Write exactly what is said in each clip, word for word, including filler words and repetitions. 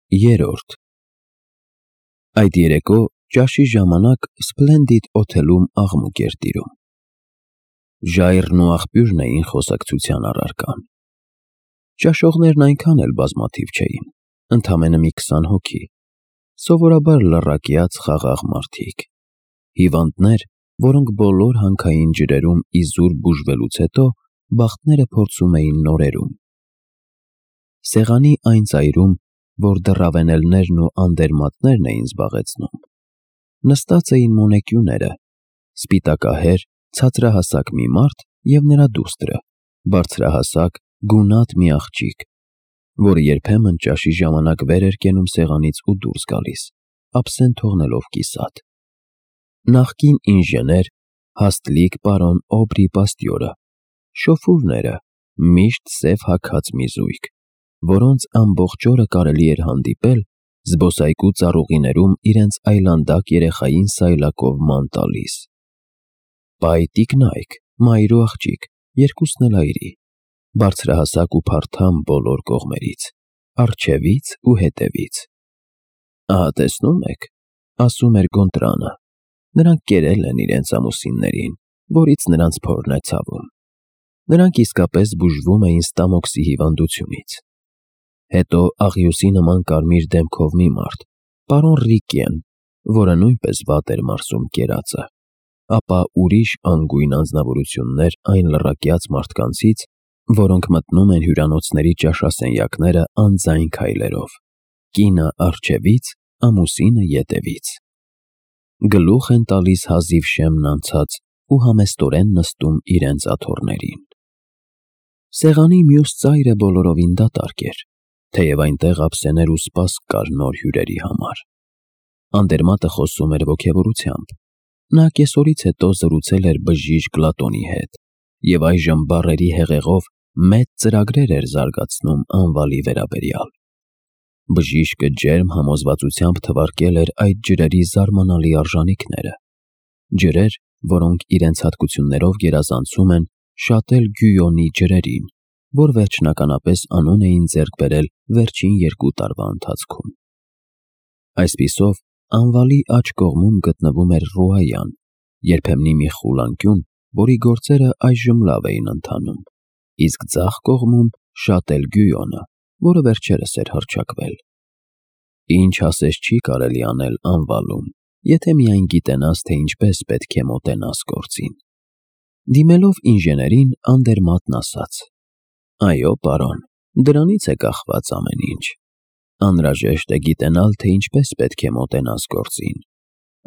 Երորդ Այդ երեկո ճաշի ժամանակ Սփլենդիդ օթելում աղմուկ էր տիրում։ Ժայռն ու աղբյուրն էին խոսակցության առարկան։ Ճաշողներն այնքան էլ բազմաթիվ չէին, ընդամենը մի քսան հոգի, սովորաբար լռակյաց խաղաղ մարդիկ, հիվանդներ, որոնք բոլոր հանքային ջրերում իզուր բուժվելուց հետո բախտները փորձում էին նորերում։ Սեղանի այն ծայրում, որ դռավենելներն ու անդերմատներն էին զբաղեցնում, նստած էին մոնեկյուները, սպիտակահեր, ցածրահասակ մի մարդ և նրա դուստրը, բարձրահասակ, գունատ մի աղջիկ, որը երբեմն ճաշի ժամանակ վեր էր կենում սեղանից ու դուրս գալիս, աբսենտ թողնելով կիսատ։ Նախկին ինժեներ, հաստլիկ պարոն Օբրի Պաստյորը, շոֆուրները, միշտ սև հագած մի զույգ, որոնց ամբողջ օրը կարելի էր հանդիպել զբոսայգու ծառուղիներում իրենց այլանդակ երեխային սայլակով ման տալիս։ Պայ տիկնայք, մայր ու աղջիկ, երկուսն էլ այրի, բարձրահասակ ու փարթամ բոլոր կողմերից, առջևից ու հետևից։ Ահա տեսնում եք, ասում էր Գոնտրանը, նրանք կերել են իրենց ամուսիններին, որից նրանց փորն է ցավում։ Նրանք իսկապես բուժվում էին ստամոքսի հիվանդությունից։ Հետո աղյուսի նման կարմիր դեմքով մի մարդ, պարոն Ռիկեն, որը նույնպես վատ էր մարսում կերածը, ապա ուրիշ անգույն անձնավորություններ այն լռակյաց մարդկանցից, որոնք մտնում են հյուրանոցների ճաշասենյակները անձայն քայլերով, կինը առջևից, ամուսինը ետևից։ Գլուխ են տալիս հազիվ շեմն անցած ու համեստորեն նստում իրենց աթոռներին։ Սեղանի մյուս ծայրը բոլորովին դատարկ էր, թեև այնտեղ ափսեներ ու սպասք կար նոր հյուրերի համար։ Անդերմատը խոսում էր ոգևորությամբ։ Նա կեսօրից հետո զրուցել էր բժիշկ Լատոնի հետ և այժմ բառերի հեղեղով մեծ ծրագրեր էր զարգացնում անվալի վերաբերյալ։ Բժիշկը ջերմ համոզվածությամբ թվարկել էր այդ ջրերի զարմանալի արժանիքները, ջրեր, որոնք իրենց հատկություններով գերազանցում են Շատել Գյույոնի ջրերին, որ վերջնականապես անուն էին ձեռք բերել վերջին երկու տարվա ընթացքում։ Այսպիսով, անվալի աջ կողմում գտնվում էր Ռուայան, երբեմնի մի խուլ անկյուն, որի գործերը այժմ լավ էին ընթանում, իսկ ձախ կողմում Շատել Գյույոնը, որը վերջերս էր հռչակվել։ Ինչ ասես չի կարելի անել անվալում, եթե միայն գիտենաս, թե ինչպես պետք է մոտենաս գործին։ Դիմելով ինժեներին, անդերմատն ասաց. Այո, պարոն, դրանից է կախված ամեն ինչ։ Անհրաժեշտ է գիտենալ, թե ինչպես պետք է մոտենաս գործին։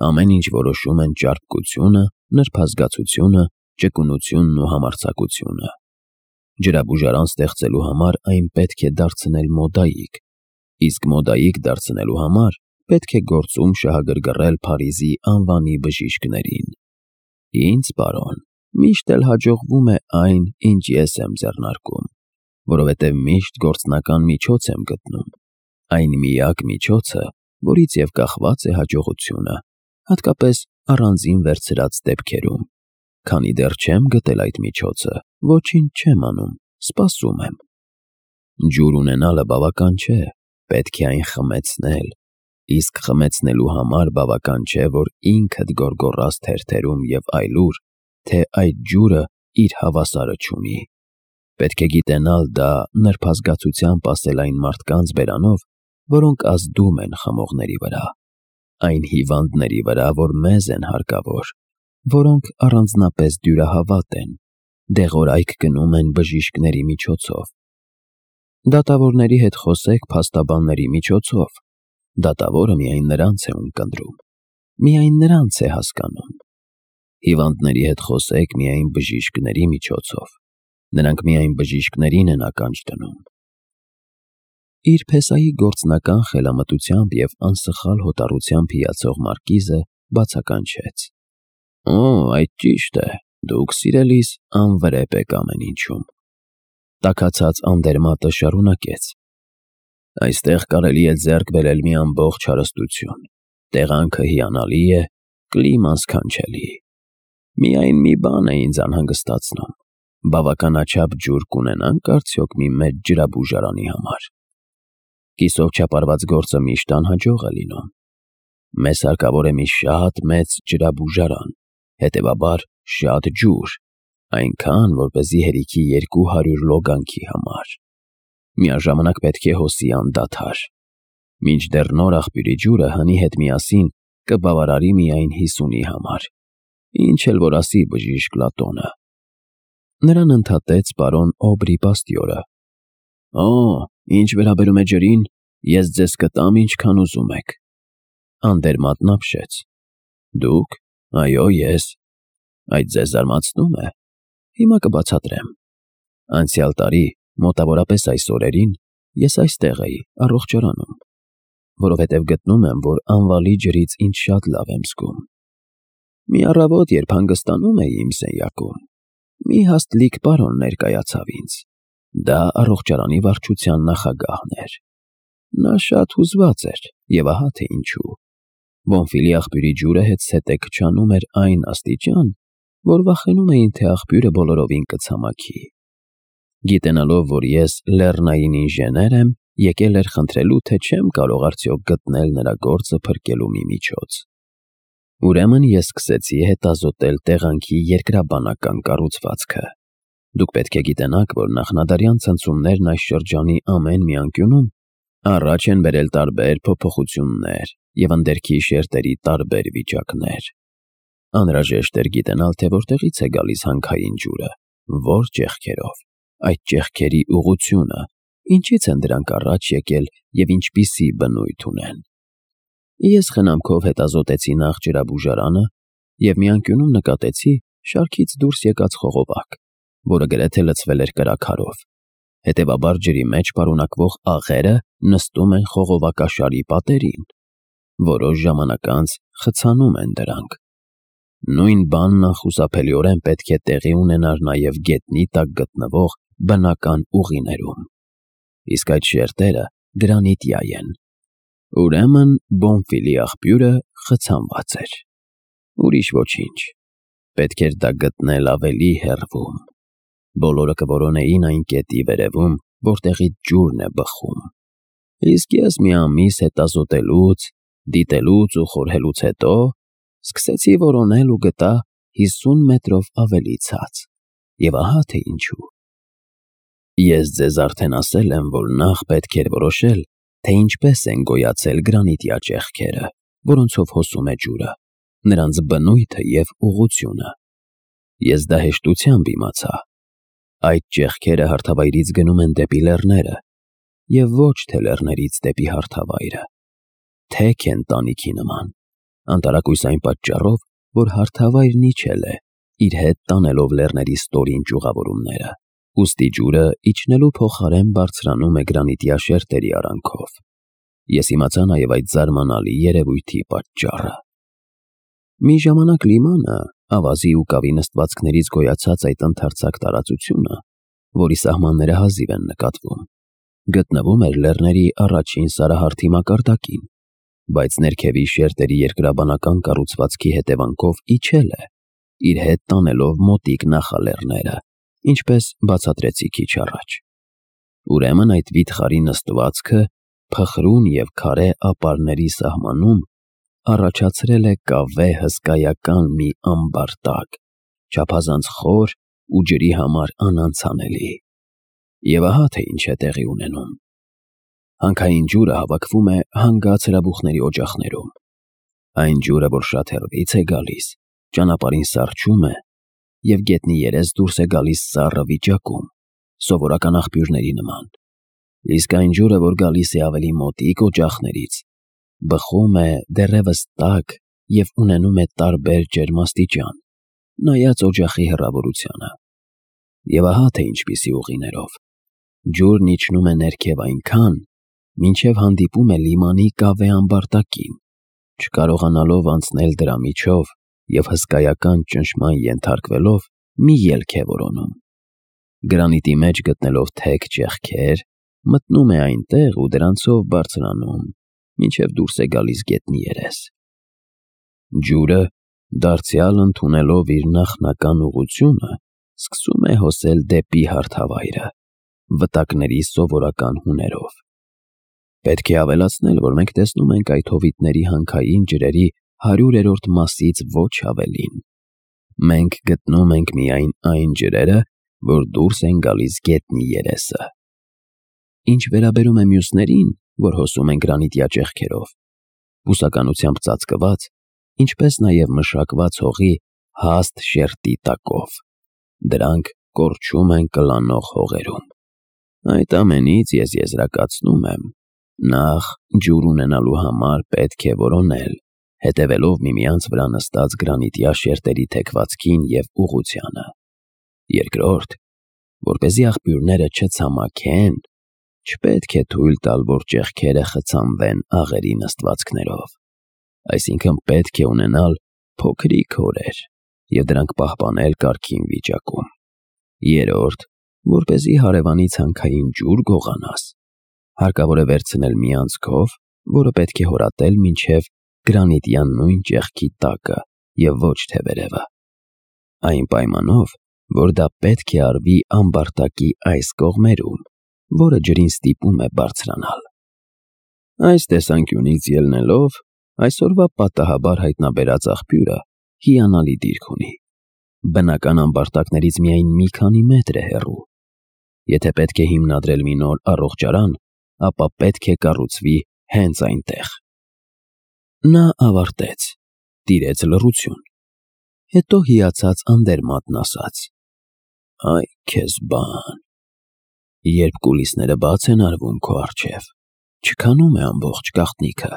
Ամեն ինչ որոշում են ճարպկությունը, նրբազգացությունը, ճկունությունն ու համարձակությունը։ Ջրաբուժարան ստեղծելու համար այն պետք է դարձնել մոդայիկ, իսկ մոդայիկ դարձնելու համար պետք է գործում շահագրգռել Փարիզի անվանի բժիշկներին։ Ինձ, պարոն, միշտ էլ հաջողվում է այն, ինչ ես եմ ձեռնարկում, որովհետև միշտ գործնական միջոց եմ գտնում, այն միակ միջոցը, որից և կախված է հաջողությունը, հատկապես առանձին վերցրած դեպքերում։ Քանի դեռ չեմ գտել այդ միջոցը, ոչինչ չեմ անում, սպասում եմ։ Ջուր ունենալը բավական չէ, պետք է այն խմեցնել, իսկ խմեցնելու համար բավական չէ, որ ինքդ գոռգոռաս թերթերում և այլուր, թե այդ ջուրը իր հավասարը չունի։ Պետք է գիտենալ դա նրբազգացությամբ ասել այն մարդկանց բերանով, որոնք ազդում են խմողների վրա, այն հիվանդների վրա, որ մեզ են հարկավոր, որոնք առանձնապես դյուրահավատ են, դեղորայք գնում են բժիշկների միջոցով։ Դատավորների հետ խոսեք փաստաբանների միջոցով, դատավորը միայն նրանց է ունկնդրում, միայն նրանց է հասկանում։ Հիվանդների հետ խոսեք միայն բժիշկների միջոցով, նրանք միայն բժիշկներին են ականջ դնում։ Իր փեսայի գործնական խելամտությամբ և անսխալ հոտառությամբ հիացող մարկիզը բացականչեց. Օ, այդ ճիշտ է, դուք, սիրելիս, անվրեպ եք ամեն ինչում։ Տաքացած անդերմատը շարունակեց. Այստեղ կարելի է ձեռք բերել մի ամբողջ հարստություն, տեղանքը հիանալի է, կլիման սքանչելի։ Միայն մի բան է ինձ անհանգստացնում, բավականաչափ ջուր կունենանք արդյոք մի մեծ ջրաբուժարանի համար։ Կիսով չապարված գործը միշտ անհաջող է լինում։ Մեզ հարկավոր է մի շատ մեծ ջրաբուժարան, հետևաբար շատ ջուր, այնքան, որպեսզի հերիքի երկու հարյուր լոգանքի համար։ Միաժամանակ պետք է հոսի անդադար։ Մինչդեռ նոր աղբյուրի ջուրը հնի հետ միասին կբավարարի միայն հիսունի համար, ինչ էլ որ ասի բժիշկ Լատոնը։ Նրան ընդհատեց պարոն Օբրի Պաստյորը։ Օ, ինչ վերաբերում է ջրին, ես ձեզ կտամ ինչքան ուզում եք։ Անդերմատն ապշեց։ Դուք։ Այո, ես։ Այդ ձեզ զարմացնում է։ Հիմա կբացատրեմ։ Անցյալ տարի, մոտավորապես այս օրերին, ես այստեղ էի, առողջարանում, որովհետև գտնում եմ, որ անվալի ջրից ինձ շատ լավ եմ զգում։ Մի առավոտ, երբ հանգստանում էի իմ սենյակում, մի հաստլիկ պարոն ներկայացավ ինձ։ Դա առողջարանի վարչության նախագահն էր։ Նա շատ հուզված էր, և ահա թե ինչու։ Բոնֆիլի աղբյուրի ջուրը հետզհետե քչանում էր այն աստիճան, որ վախենում էին, թե աղբյուրը բոլորովին կցամաքի։ Գիտենալով, որ ես լեռնային ինժեներ եմ, եկել էր խնդրելու, թե չեմ կարող արդյոք գտնել նրա գործը փրկելու մի միջոց։ Ուրեմն ես սկսեցի հետազոտել տեղանքի երկրաբանական կառուցվածքը։ Դուք պետք է գիտենաք, որ նախնադարյան ցնցումներն այս շրջանի ամեն մի անկյունում առաջ են բերել տարբեր փոփոխություններ և ընդերքի շերտերի տարբեր վիճակներ։ Անհրաժեշտ էր գիտենալ, թե որտեղից է գալիս հանքային ջուրը, որ ճեղքերով, այդ ճեղքերի ուղղությունը, ինչից են դրանք առաջ եկել և ինչպիսի բնույթ ունեն։ Ես խնամքով հետազոտեցի նախ ջրաբուժարանը և մի անկյունում նկատեցի շարքից դուրս եկած խողովակ, որը գրեթե լցվել էր կրաքարով։ Հետևաբար ջրի մեջ պարունակվող աղերը նստում են խողովակաշարի պատերին։ Որոշ ժամանակ անց խցանում են դրանք։ Նույն բանն անխուսափելիորեն պետք է տեղի ունենար նաև գետնի տակ գտնվող բնական ուղիներում։ Իսկ այդ շերտերը գրանիտյա են։ Ուրեմն Բոնֆիլի աղբյուրը խցանված էր։ Ուրիշ ոչինչ։ Պետք էր դա գտնել ավելի հեռվում։ Բոլորը կորոնեին այն կետի վերևում, որտեղից ջուրն է բխում։ Իսկ ես մի ամիս հետազոտելուց, դիտելուց ու խորհելուց հետո սկսեցի որոնել ու գտա հիսուն մետրով ավելի ցած։ Եվ ահա թե ինչու։ Ես ձեզ արդեն ասել եմ, որ նախ պետք էր որոշել, թե ինչպես են գոյացել գրանիտյա ճեղքերը, որոնցով հոսում է ջուրը, նրանց բնույթը և ուղղությունը։ Ես դա հեշտությամբ իմացա։ Այդ ճեղքերը հարթավայրից գնում են դեպի լեռները և ոչ թե լեռներից դեպի հարթավայրը։ Թեք են տանիքի նման, անտարակույս այն պատճառով, որ հարթավայրն իջել է, իր հետ տանելով լեռների ստորին ճյուղավորումները։ Ուստի ջուրը իջնելու փոխարեն բարձրանում է գրանիտյա շերտերի արանքով։ Ես իմացա նաև այդ զարմանալի երևույթի պատճառը։ Մի ժամանակ լիմանը, ավազի ու կավի նստվածքներից գոյացած այդ ընդարձակ տարածությունը, որի սահմանները հազիվ են նկատվում, գտնվում էր լեռների առաջին սարահարթի մակարդակին, բայց ներքևի շերտերի երկրաբանական կառուցվածքի հետևանքով իջել է, իր հետ տանելով մոտիկ նախալեռները, ինչպես բացատրեցի քիչ առաջ։ Ուրեմն այդ վիթխարի նստվածքը փխրուն և քարե ապարների սահմանում առաջացրել է կավե հսկայական մի ամբարտակ, չափազանց խոր ու ջրի համար անանցանելի։ Եվ ահա թե ինչ է տեղի ունենում։ Հանքային ջուրը հավաքվում է հանգած հրաբուխների օջախներում։ Այն ջուրը, որ շատ հեռվից է գալիս, ճանապարհին սառչում է և գետնի երես դուրս է գալիս սառը վիճակում, սովորական աղբյուրների նման։ Իսկ այն ջուրը, որ գալիս է ավելի մոտիկ օջախներից, բխում է դեռևս տաք և ունենում է տարբեր ջերմաստիճան, նայած օջախի հեռավորությանը։ Եվ ահա թե ինչպիսի ուղիներով։ Ջուրն իջնում է ներքև այնքան, մինչև հանդիպում է լիմանի կավե ամբարտակին, չկարողանալով անցնել դրա միջով և հսկայական ճնշման ենթարկվելով մի ելք է որոնում։ Գրանիտի մեջ գտնելով թեք ճեղքեր, մտնում է այնտեղ ու դրանցով բարձրանում, մինչև դուրս է գալիս գետնի երես։ Ջուրը, դարձյալ ընդունելով իր նախնական ուղղությունը, սկսում է հոսել դեպի հարթավայրը, վտակների սովորական հուներով։ Պետք է ավելացնել, որ մենք տեսնում ենք այդ հովիտների հանքային ջրերի հարյուրերորդ մասից ոչ ավելին։ Մենք գտնում ենք միայն այն ջրերը, որ դուրս են գալիս գետնի երեսը։ Ինչ վերաբերում է մյուսներին, որ հոսում են գրանիտյա ճեղքերով, բուսականությամբ ծածկված, ինչպես նաև մշակված հողի հաստ շերտի տակով, դրանք կորչում են կլանող հողերում։ Այդ ամենից ես եզրակացնում եմ, նախ ջուր ունենալու համար պետք է որոնել, հետևելով միմյանց վրա նստած գրանիտյա շերտերի թեքվածքին և ուղղությանը։ Երկրորդ, որպեսզի աղբյուրները չցամաքեն, չպետք է թույլ տալ, որ ճեղքերը խցանվեն աղերի նստվածքներով, այսինքն պետք է ունենալ փոքրիկ հորեր և դրանք պահպանել կարգին վիճակում։ Երրորդ, որպեսզի հարևանի ցանքային ջուր գողանաս, հարկավոր է վերցնել մի անցքով, որը պետք է հորատել մինչև գրանիտյան նույն ճեղքի տակը և ոչ թե վերևը, այն պայմանով, որ դա պետք է արվի ամբարտակի այս կողմերում, որը ջրին ստիպում է բարձրանալ։ Այս տեսանկյունից ելնելով, այսօրվա պատահաբար հայտնաբերած աղբյուրը հիանալի դիրք ունի։ Բնական ամբարտակներից միայն մի քանի մետր է հեռու։ Եթե պետք է հիմնադրել մի նոր առողջարան, ապա պետք է կառուցվի հենց այնտեղ։ Նա ավարտեց, տիրեց լռություն, հետո հիացած անդերմատն ասաց. «Այ քեզ բան, երբ կուլիսները բաց են արվում քո առջև, չքանում է ամբողջ գաղտնիքը։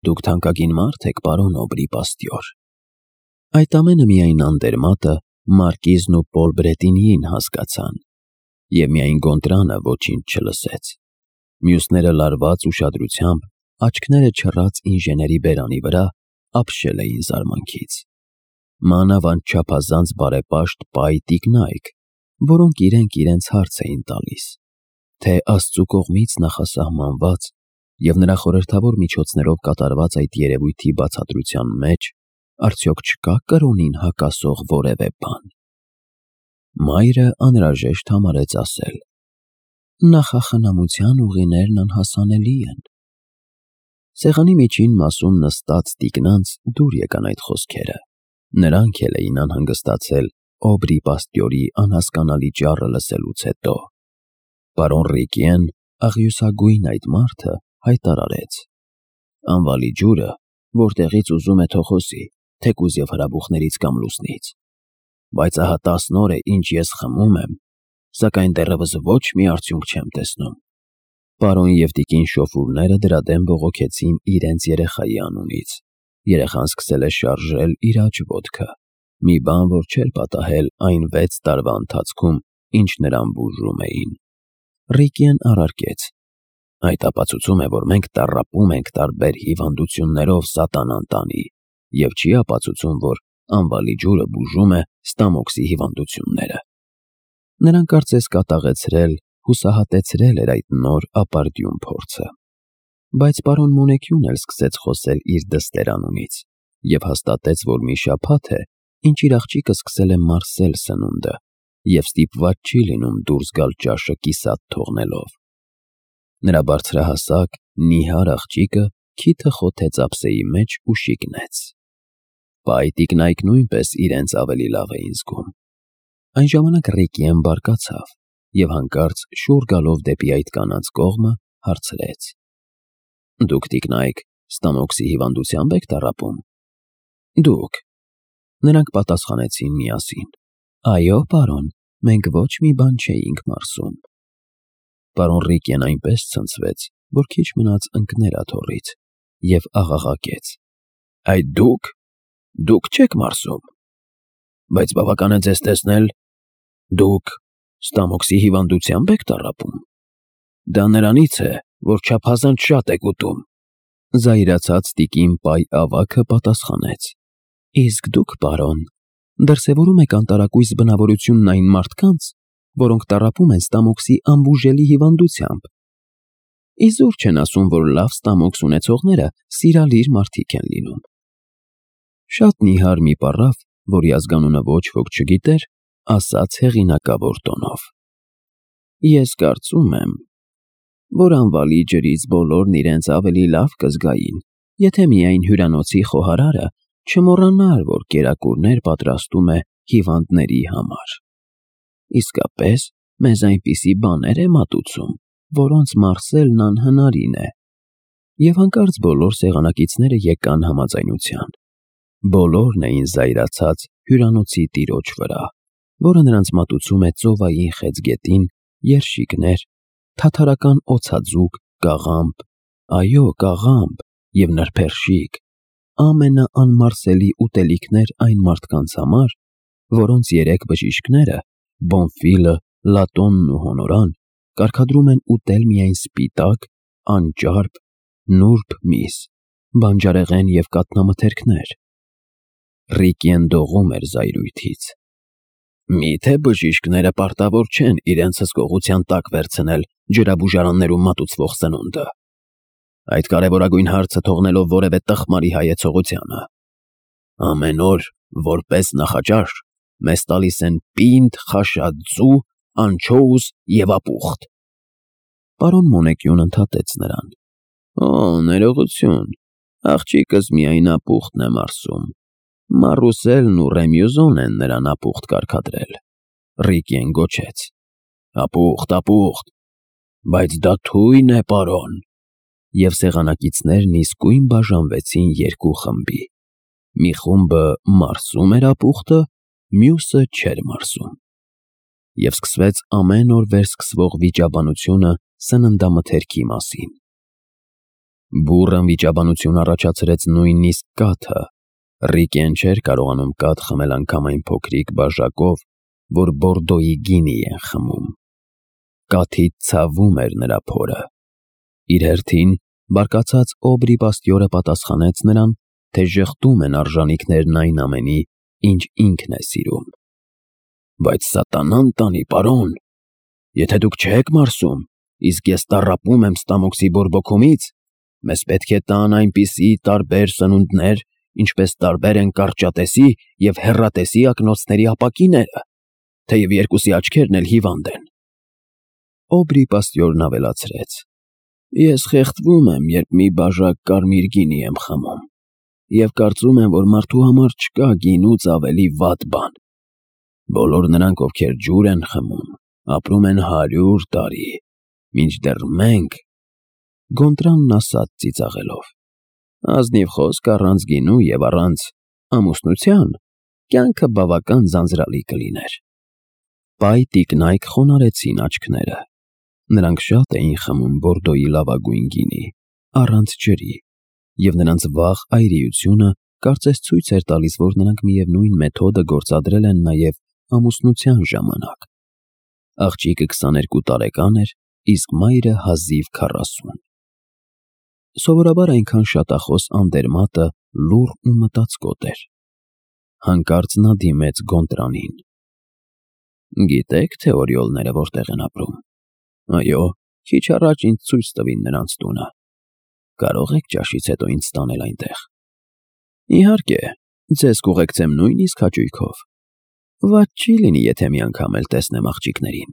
Դուք թանկագին մարդ եք, պարոն Օբրի պաստյոր»։ Այդ ամենը միայն անդերմատը, մարկիզն ու Պոլ Բրետինիին հասկացան, և միայն Գոնտրանը ոչինչ չլսեց։ Մյուսները լարված ուշադրությամբ, աչքները չռած ինժեների բերանի վրա, ապշել էին զարմանքից։ Մանավանդ չափազանց բարեպաշտ պայ տիկնայք, որոնք իրենք իրենց հարց էին տալիս, թե Աստծու կողմից նախասահմանված և նրա խորհրդավոր միջոցներով կատարված այդ երևույթի բացատրության մեջ արդյոք չկա կրոնին հակասող որևէ բան։ Մայրը անհրաժեշտ համարեց ասել. «Նախախնամության ուղիներն անհասանելի են»։ Սեղանի միջին մասում նստած տիկնանց դուր եկան այդ խոսքերը։ Նրանք էլ էին անհանգստացել Օբրի պաստյորի անհասկանալի ճառը լսելուց հետո։ Պարոն Ռիկիեն, աղյուսագույն այդ մարդը, հայտարարեց. «Անվալի ջուրը, որտեղից ուզում է թող հոսի, թեկուզ և հրաբուխներից կամ լուսնից։ Բայց ահա տասն օր է, ինչ ես խմում եմ, սակայն դեռևս ոչ մի արդյունք չեմ տեսնում»։ Պարոն և տիկին շոֆուրները դրա դեմ բողոքեցին իրենց երեխայի անունից։ Երեխան սկսել է շարժել իր աջ ոտքը, մի բան, որ չէր պատահել այն վեց տարվա ընթացքում, ինչ նրան բուժում էին։ Ռիկիեն առարկեց. «Այդ ապացուցում է, որ մենք տառապում ենք տարբեր հիվանդություններով սատանան տանի, և չի ապացուցում, որ անվալի ջուրը բուժում է ստամոքսի հիվանդությունները»։ Նրան կարծես կատաղեցրել, հուսահատեցրել էր այդ նոր ապարդյուն փորձը։ Բայց պարոն Մոնեկյուն էլ սկսեց խոսել իր դստեր անունից և հաստատեց, որ մի շաբաթ է, ինչ իր աղջիկը սկսել է մարսել սնունդը և ստիպված չի լինում դուրս գալ ճաշը կիսատ թողնելով։ Նրա բարձրահասակ, նիհար աղջիկը քիթը խոթեց ափսեի մեջ ու շիկնեց։ Պայ տիկնայք նույնպես իրենց ավելի լավ էին զգում։ Այն ժամանակ Ռիկիեն բարկացավ և հանկարծ շուռ գալով դեպի այդ կանանց կողմը հարցրեց. «Դուք, տիկնայք, ստամոքսի հիվանդությամբ եք տառապում»։ «Դուք»։ Նրանք պատասխանեցին միասին. «Այո, պարոն, մենք ոչ մի բան չէինք մարսում»։ Պարոն Ռիկիեն այնպես ցնցվեց, որ քիչ մնաց ընկներ աթոռից և աղաղակեց. «Այդ դուք, դուք չեք մարսում, բայց բավական է ձեզ տեսնել, դուք ստամոքսի հիվանդությամբ եք տառապում։ Դա նրանից է, որ չափազանց շատ եք ուտում»։ Զայրացած տիկին Պայ ավագը պատասխանեց. «Իսկ դուք, պարոն, դրսևորում եք անտարակույս բնավորությունն այն մարդկանց, որոնք տառապում են ստամոքսի անբուժելի հիվանդությամբ։ Իզուր չեն ասում, որ լավ ստամոքս ունեցողները սիրալիր մարդիկ են լինում»։ Շատ նիհար մի պառավ, որի ազգանունը ոչ ոք չգիտեր, ասաց հեղինակավոր տոնով. «Ես կարծում եմ, որ անվալի ջրից բոլորն իրենց ավելի լավ կզգային, եթե միայն հյուրանոցի խոհարարը չմոռանար, որ կերակուրներ պատրաստում է հիվանդների համար։ Իսկապես, մեզ այնպիսի բաներ է մատուցում, որոնց մարսելն անհնարին է։ Եվ հանկարծ բոլոր սեղանակիցները եկան համաձայնության։ Բոլորն էին զայրացած հյուրանոցի տիրոջ վրա, որը նրանց մատուցում է ծովային խեցգետին, երշիկներ, թաթարական օձաձուկ, կաղամբ, այո, կաղամբ և նրբերշիկ, ամենաանմարսելի ուտելիքներ այն մարդկանց համար, որոնց երեք բժիշկները՝ Բոնֆիլը, Լատոնն ու Հոնորան, կարգադրում են ուտել միայն սպիտակ, անճարպ, նուրբ միս, բանջարեղեն և կաթնամթերքներ։ Ռիկիեն դողում էր զայրույթից։ Մի՞թե բժիշկները պարտավոր չեն իրենց հսկողության տակ վերցնել ջրաբուժարաններում մատուցվող սնունդը, այդ կարևորագույն հարցը թողնելով որևէ տխմարի հայեցողությանը։ Ամեն օր, որպես նախաճաշ, մեզ տալիս են պինդ խաշած ձու, անչոուս և ապուխտ։ Պարոն Մոնեկյուն ընդհատեց նրան. Օ, ներողություն, աղջիկս միայն ապուխտն է մարսում։ Մարուսելն ու Ռեմյուզոն են նրան ապուխտ կարգադրել։ Ռիկիեն գոչեց. Ապուխտ, ապուխտ, բայց դա թույն է, պարոն։ Եվ սեղանակիցներն իսկույն բաժանվեցին երկու խմբի։ Մի խումբը մարսում էր ապուխտը, մյուսը չէր մարսում։ Եվ սկսվեց ամեն օր վերսկսվող վիճաբանությունը սննդամթերքի մասին։ Բուռն վիճաբանություն առաջացրեց նույնիսկ կաթը։ Ռիկիեն չէր կարողանում կաթ խմել անգամ այն փոքրիկ բաժակով, որ Բորդոյի գինի են խմում։ Կաթից ցավում էր նրա փորը։ Իր հերթին բարկացած Օբրի պաստյորը պատասխանեց նրան, թե ժխտում են արժանիքներն այն ամենի, ինչ ինքն է սիրում։ Բայց սատանան տանի, պարոն, եթե դուք չեք մարսում, իսկ ես տառապում եմ ստամոքսի բորբոքումից, մեզ պետք է տան այնպիսի տարբեր սնունդներ, ինչպես տարբեր են կարճատեսի և հեռատեսի ակնոցների ապակիները, թեև երկուսի աչքերն էլ հիվանդ են։ Օբրի պաստյորն ավելացրեց. Ես խեղդվում եմ, երբ մի բաժակ կարմիր գինի եմ խմում, և կարծում եմ, որ մարդու համար չկա գինուց ավելի վատ բան։ Բոլոր նրանք, ովքեր ջուր են խմում, ապրում են հարյուր տարի, մինչդեռ մենք… Գոնտրալն ասաց ծիծաղելով. Ազնիվ խոսք առանց գինու և առանց ամուսնության կյանքը բավական ձանձրալի կլիներ։ Պայ տիկնայք խոնարհեցին աչքները։ Նրանք շատ էին խմում Բորդոյի լավագույն գինի, առանց ջրի, և նրանց վաղ այրիությունը կարծես ցույց էր տալիս, որ նրանք միևնույն մեթոդը գործադրել են նաև ամուսնության ժամանակ։ Աղջիկը քսաներկու տարեկան էր, իսկ մայրը հազիվ քառասուն։ Սովորաբար այնքան շատախոս Անդերմատը լուռ ու մտածկոտ էր։ Հանկարծ նա դիմեց Գոնտրանին. Գիտե՞ք, թե օրիոլները որտեղ են ապրում։ Այո, քիչ առաջ ինձ ցույց տվին նրանց տունը։ Կարող եք ճաշից հետո ինձ տանել այնտեղ։ Իհարկե, ձեզ կուղեկցեմ նույնիսկ հաճույքով։ Վատ չի լինի, եթե մի անգամ էլ տեսնեմ աղջիկներին։